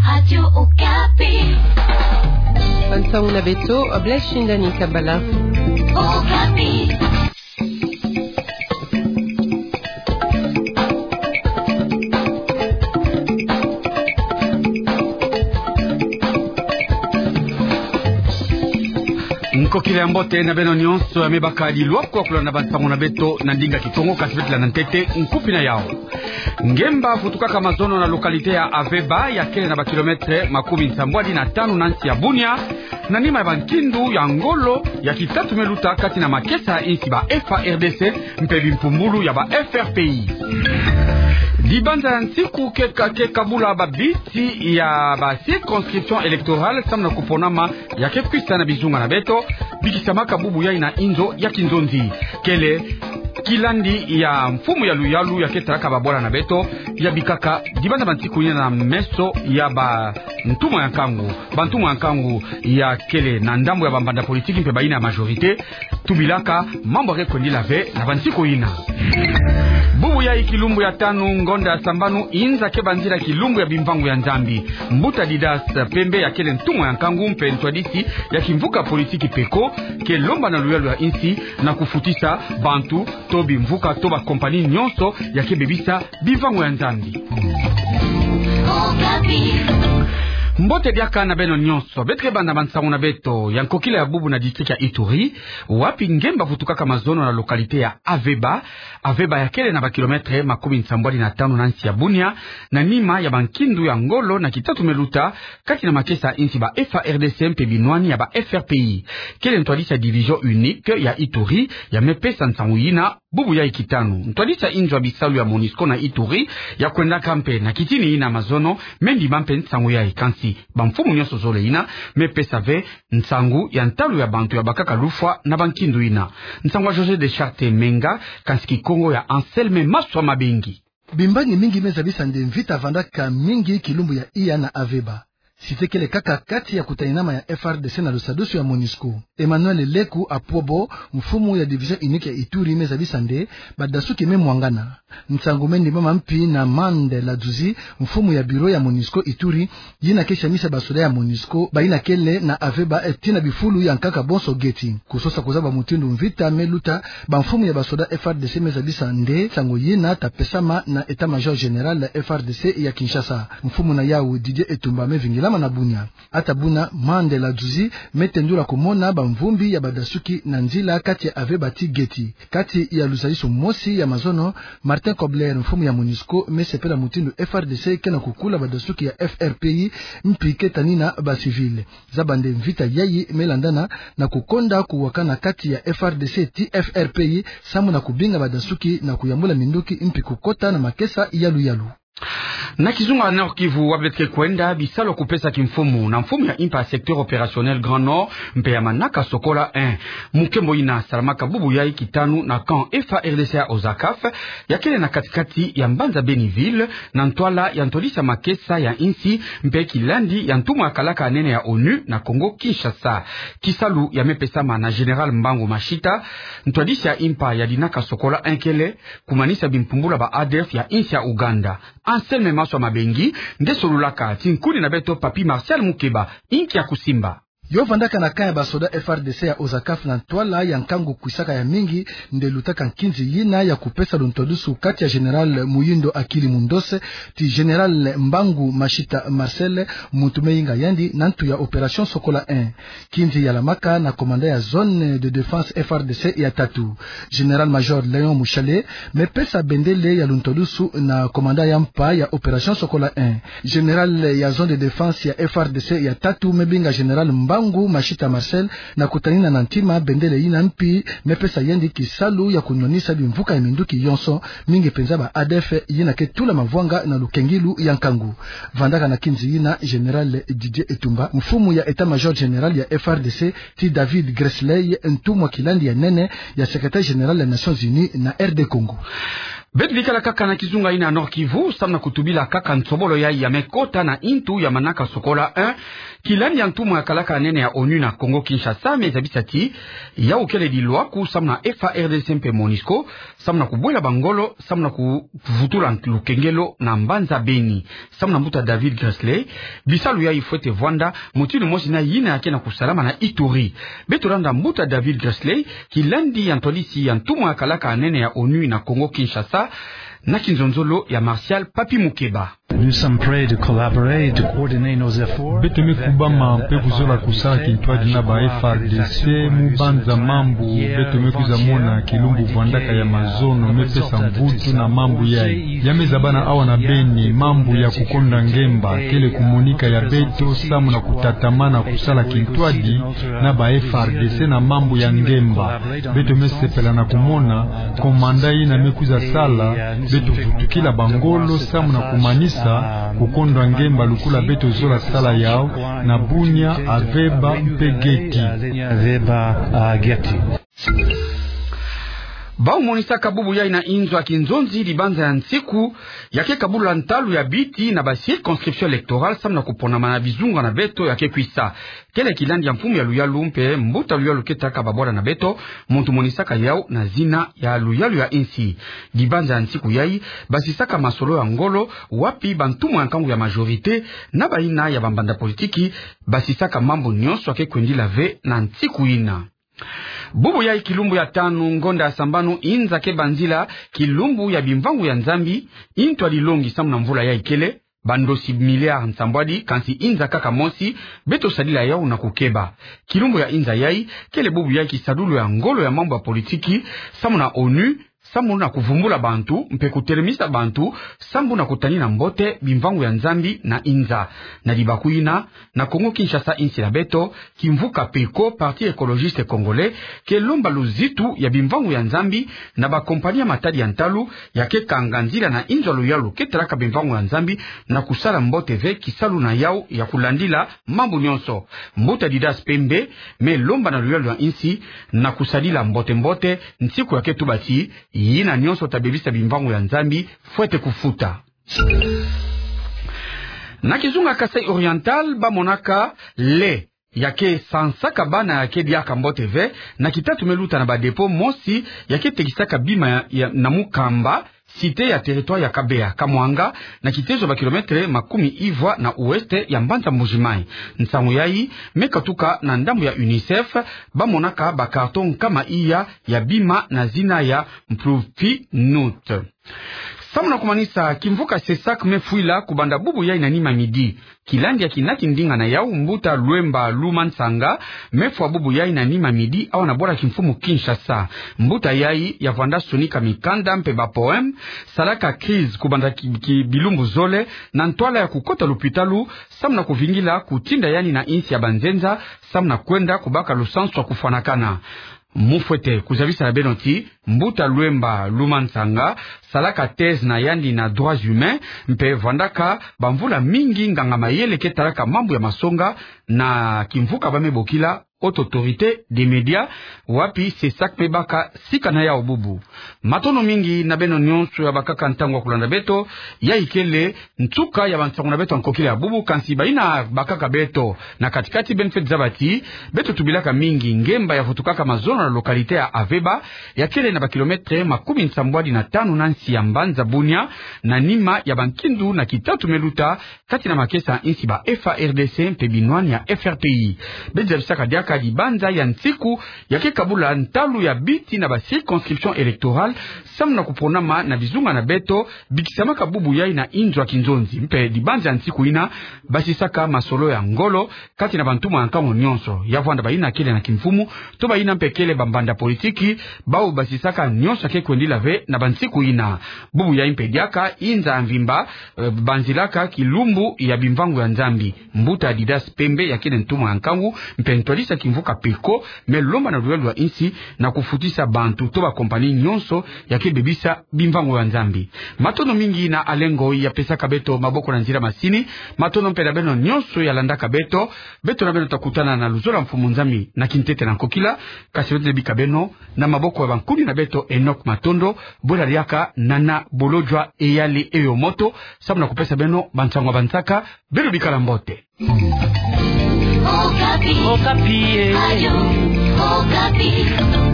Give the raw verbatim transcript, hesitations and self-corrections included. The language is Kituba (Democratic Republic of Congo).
Radio Okapi. Bansango na beto, Blaise Shindani Kabala. Okapi. Nkokila ya mbote na beno nyonso, ya me baka lilwa kwa kulanda bansango na beto na ndinga Kikongo, kasi beto landa ntete nkufi na yawu. Ngemba vutukaka mazono na localité ya Aveba, ya kele na ba kilomètre makumi nsambwadi na tanu na nsi ya Bunia, na nima ya bankindu ya ngolo ya kitatu me luta kati na makesa ya insi, ba F A R D C mpe bimpumbulu ya ba F R P I. Dibanza ya nsiku ke ka-, ke kabula babiti ya ba circonscription électorale samu na kuponama ya ke kwisa na bizunga na beto, bikisamaka bubu yayi na inzo ya kinzonzi. Kele kilandi ya mfumu ya luyalu ya ke talaka babwala na beto, ya bikaka dibanza bansiku yina na meso ya bantumwa ya nkangu. Bantumwa ya nkangu ya kele na ndambu ya bambanda politiki mpe bayina ya majorité, tubilaka mambu ya ke kwendila ve na bansiku yina. Bubu yayi kilumbu ya tanu ngonda ya sambanu inza ke banzila kilumbu ya bimvangu ya Nzambi. Mbuta Didas Pembe, ya kele ntumwa ya nkangu mpe ntwadisi ya kimvuka politiki PECO, ke lomba na luyalu ya insi na kufutisa bantu to bimvuka to ba compagnie nyonso ya ke bebisa bimvangu ya Nzambi. Mbote diaka na beno nyonso. Beto ke banda bansango na beto ya nkokila ya bubu na district ya Ituri, wapi ngemba vutukaka mazono na localité ya Aveba. Aveba ya kele na ba kilomètre makumi nsambwadi na tanu na nsi ya Bunia, na nima ya bankindu ya ngolo na kitatu me luta kati na makesa ya insi, ba F A R D C mpe binwani ya ba F R P I. Kele ntwadisi ya division unique ya Ituri ya me pesa nsangu yina bubu yayi kitanu. Ntwadisi ya inzo ya bisalu ya MONUSCO na Ituri ya kwendaka mpe na kitini yina mazono me ndima mpe nsangu yayi, kansi bamfumu nyonso zole yina me pesa ve nsangu ya ntalu ya bantu ya bakaka lufwa na bankindu yina. Nsangu ya José de Charte Menga, kansi Kikongo ya Anselme Maswa Mabengi. Bimbangi mingi me zabisa nde mvita vandaka mingi kilumbu ya iya na Aveba. Cité kele kaka kati ya kutaninama ya F A R D C na lusadusu ya MONUSCO. Emmanuel Leku Apwobo, mfumu ya division unique ya Ituri, me zabisa nde badasuki me mwangana. Nsangu me ndimama mpi na Mande Laduzi, mfumu ya bureau ya MONUSCO Ituri, yina ke samisa basoda ya MONUSCO bayina kele na Aveba, eh, tii na bifulu ya nkaka bonso geti. Kusosa kuzaba mutindu mvita me luta, bamfumu ya basoda F A R D C me zabisa nde nsangu yina ta pesama na état-major général ya F A R D C ya Kinshasa. Mfumu na yawu Didier Etumba me vingilama na Bunia. Ata buna, Mande Laduzi me tendula kumona bamvumbi ya badasuki na nzila kati ya Aveba tii geti. Kati ya luzayiso mosi ya mazono, Martin Kobler, mfumu ya MONUSCO, me sepela mutindu F A R D C ke na kukula badasuki ya F R P I, mpi ke tanina ba civil. Zaba nde mvita yayi me landana na kukonda kuwakana kati ya F A R D C tii F R P I, samu na kubinga badasuki na kuyambula minduki mpi kukota na makesa yalu yalu. Na kizunga Nord-Kivu, wapi beto ke kwenda, bisalu ya kupesa kimfumu na mfumu ya impa ya secteur opérationnel Grand Nord mpe ya manaka Sokola un, mu nkembo yina salamaka bubu yayi kitanu na camp F A R D C ya Ozakaf, ya kele na kati-kati ya mbanza Béniville, na ntwala ya ntwadisi ya makesa ya insi mpe kilandi ya ntumwa ya kalaka ya nene ya ONU na Congo Kinshasa. Kisalu ya me pesama na Général Mbangu Mashita, ntwadisi ya impa ya dinaka Sokola un kele kumanisa bimpumbulu ya ba A D F ya insi ya Ouganda. Anselme Maswa Mabengi nde solulaka, ti nkuni na beto Papy Martial Mukeba, inki ya kusimba. Yo vandaka na camp ya basoda F A R D C ya Ozakaf na ntwala ya nkangu kwisaka ya mingi, nde lutaka nkinzi yina ya kupesa luntodusu kati ya Général Muyindo Akili Mundose ti Général Mbangu Mashita Marcel, muntu me yinga yandi na ntu ya opération Sokola un. Nkinzi yalamaka na commandant ya zone de défense F A R D C ya tatu. Général-major Léon Mushale me pesa bendele ya luntodusu na commandant ya mpa ya opération Sokola un. Général ya zone de défense ya F A R D C ya tatu me binga Général Mbangu Mashita Marcel na kutanina na ntima bendele yina, mpi me pesa yandi kisalu ya kunwanisa bimvuka ya minduki yonso, mingi mpenza ba A D F yina ke tula mavwanga na lukengilu ya nkangu. Vandaka na nkinzi yina Général Didier Etumba, mfumu ya état-major général ya F A R D C, ti David Gressler, ntumwa kilandi ya nene ya secrétaire général ya Nations Unies na R D Congo. Beto bikala kaka na kizunga yina ya Nord-Kivu, samu na kutubila kaka nsobolo yayi ya me kota na ntu ya manaka Sokola un, kilandi ya ntumwa ya kalaka nene ya ONU na Congo Kinshasa me zabisa ti yau kele dilwaku samu na F A R D C mpe MONUSCO, samu na kubwela bangolo, samu na kuvutula lukengelo na mbanza Beni. Samu na mbuta David Grassley, bisalu yayi fwete vwanda mutindu mosi na yina yake na kusalama na Ituri. Beto landa mbuta David Grassley, kilandi ya ntwadisi ya ntumwa yakalaka nene ya ONU na Congo Kinshasa, na kinzonzolo ya Martial Papi Mukeba. Nous sommes prêts de collaborer et de coordonner nos efforts. Beto me kubama mpe kuzola kusala kintwadi na ba F A R D C mu banza mambu beto me kwiza mona kilumbu vwandaka ya mazono me pesa mvutu na mambu yayi. Ya me zabana awa na Beni, mambu ya kukonda ngemba kele kumonika ya beto samu na kutatamana kusala kintwadi na ba F A R D C na mambu ya ngemba. Beto me sepela na kumona commandant yina me kwiza sala, beto vutukila bangolo samu na kumanisa kukonda ngemba lukula beto zola sala yau na Bunia, Aveba mpe Geti. Aveba, ah, Geti. Bau monisaka bubu yayi na inzo ya kinzonzi dibanza ya nsiku yake kabula ntalu ya biti na ba circonscription électorale samu na kuponama na bizunga na beto yake kwisa. Kele kilandi ya mfumu ya luyalu mpe mbuta luyalu ke taka babwala na beto, muntu monisaka yau na zina ya luyalu ya insi. Dibanza ya nsiku yayi, basisaka masolo ya ngolo, wapi bantumwa ya nkangu ya majorité na bayina ya bambanda politiki basisaka mambu nyonso yake kwendila ve na nsiku yina. Bubu yayi kilumbu ya tanu ngonda ya sambanu inza ke banzila kilumbu ya bimvangu ya Nzambi, intwadi longi samu na mvula yayi kele bandosi milliard nsambwadi, kansi inza kaka mosi beto sadila yau na kukeba. Kilumbu ya inza yayi kele bubu yayi kisadulu ya ngolo ya mambu ya politiki samu na ONU, samu na kuvumbula bantu mpe kutelemisa bantu, samu na kutanina mbote bimvangu ya Nzambi na inza. Na dibaku yina, na Congo Kinshasa, insi na beto, kimvuka PECO, Parti Ecologiste Congolais, ke lomba luzitu ya bimvangu ya Nzambi na ba compagnie ya matadi ya ntalu yake kanga nzila na inzo ya luyalu ke talaka bimvangu ya Nzambi na kusala mbote ve kisalu na yau ya kulandila mambu nyonso. Mbuta Didas Pembe me lomba na luyalu ya insi na kusadila mbote-mbote nsiku yake tuba ti yina nyonso ta bebisa bimvangu ya Nzambi fwete kufuta. Na kizunga Kasaï Oriental, bamonaka lait yake sansaka bana yake diaka mbote ve, na kitatu me luta na ba dépôt mosi yake tekisaka bima ya, ya, na Mukamba, cité ya territoire ya Kabeya, Kamwanga, na kitezo ba kilomètre makumi ivwa na ouest ya mbanza Mbuji-Mayi. Nsangu yayi me katuka na ndambu ya UNICEF, bamonaka ba carton nkama iya ya bima na zina ya Mprofinut. Samu na kumanisa, kimvuka CESAC me fwila kubanda bubu yayi na nima midi. Kilandi ya kina kindinga na yau, mbuta Lwemba Luma Nsanga me fwa bubu yayi na nima midi awa na bwala kimfumu Kinshasa. Mbuta yayi ya vwanda sonika mikanda mpe ba poème, salaka crise kubanda ki, ki bilumbu zole, na ntwala ya kukota lupitalu, samu na kuvingila kutinda yandi na insi ya banzenza, samu na kwenda kubaka lusansu ya kufwanakana. Mu fwete kuzabisa na beno ti mbuta Lwemba Luma Nsanga salaka thèse na yandi na droits humains, mpe vwandaka bamvula mingi nganga mayele ke talaka mambu ya masonga, na kimvuka ba me bokila Haute Autorité des Médias, wapi CESAC me baka sika na yau bubu. Matondo mingi na beno nyonso ya bakaka ntangu ya kulanda beto. Yayi kele nsuka ya bansangu na beto ya nkokila ya bubu, kansi bayina bakaka beto na kati-kati, beno fwete zaba ti beto tubilaka mingi ngemba ya vutukaka mazono na localité ya Aveba, ya kele na ba kilomètre makumi nsambwadi na tanu na nsi ya mbanza Bunia, na nima ya bankindu na kitatu me luta kati na makesa ya insi ba F A R D C mpe binwani ya F R P I. Beto zabisaka diaka dibanza ya nsiku yake kabula ntalu ya biti na ba circonscription électorale, samu na kuponama na bizunga na beto bikisamaka bubu yayi na inzo ya kinzonzi. Mpe dibanza ya nsiku yina basisaka masolo ya ngolo kati na bantumwa ya nkangu nyonso, ya vwanda bayina kele na kimfumu, to bayina mpe kele bambanda politiki, bau basisaka nyonso yake kwendila ve na bansiku yina. Bubu yayi mpe diaka inza ya mvimba, eh, banzilaka kilumbu ya bimvangu ya Nzambi. Mbuta Didas Pembe ya kele ntumwa ya nkangu mpe ntwadisi ya kimvuka PECO me lomba na luyalu ya insi na kufutisa bantu to ba compagnie nyonso yake bebisa bimvangu ya Nzambi. Matondo mingi na Alengo ya pesaka beto maboko na nzila masini. Matondo mpe na beno nyonso ya landaka beto. Beto na beno ta kutana na luzolo ya Mfumu Nzambi na kintete na nkokila. Kasi beto bika beno na maboko ya bankuni na beto Enoch Matondo, bwela diaka nana bolojwa eyali eyo moto, samu na kupesa beno bansangu ya bansaka. Beno bikala mbote. Okapi. Okapi, eh. Radio Okapi.